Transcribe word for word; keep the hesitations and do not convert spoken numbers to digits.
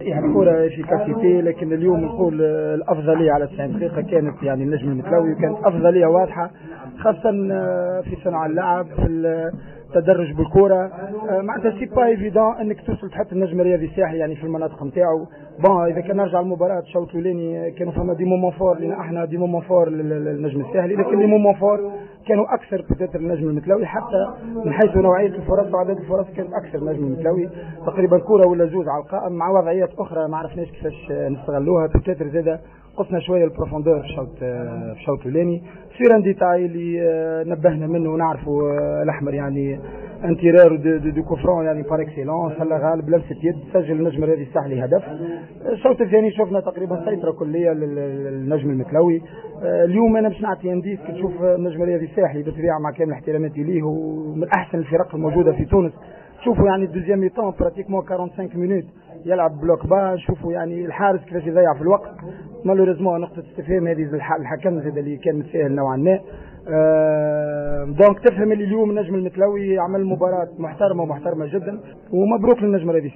يعني كرة efficacité، لكن اليوم نقول الافضلية على تسعين دقيقة كانت يعني النجم المتلوي، وكانت افضلية واضحة خاصة في صنع اللعب، في التدرج بالكره. معناتها c'est pas évident انك توصل تحط النجم الرياضي الساحلي يعني في المناطق نتاعو. bon، اذا كان نرجع المباراة الشوط الاولاني كانوا فما des moments forts لنا احنا، des moments forts للنجم الساحلي، لكن les moments forts كانوا اكثر peut-être النجم المتلوي، حتى من حيث نوعية الفرص وعدد الفرص كانت اكثر النجم المتلوي، تقريبا كره ولا زوز على القائم مع وضعيات اخرى ما عرفناش كيفاش نستغلوها. peut-être زاده نقصنا شوية ال profondeur في الشوط في الشوط الاولاني sur un détail اللي نبهنا منه ونعرفوا الاحمر، يعني un tireur de, de, de coups francs يعني par excellence، الله غالب لمسه يد سجل النجم الرياضي الساحلي هدف. الشوط الثاني شفنا تقريبا سيطرة كليه للنجم المتلوي. اليوم انا باش نعطي indice، كي تشوف النجم الرياضي الساحلي، بالطبيعة مع كامل احتراماتي ليه ومن احسن الفرق الموجودة في تونس، شوفوا يعني ال deuxième mi-temps pratiquement quarante-cinq minutes يلعب bloc bas. شوفوا يعني الحارس كيفاش يضيع في الوقت. malheureusement نقطة استفهام هذه الحكم زاد اللي كان متساهل نوعا ما. donc تفهم اللي اليوم النجم المتلوي عمل مباراة محترمة ومحترمة جدا، ومبروك للنجم الرياضي.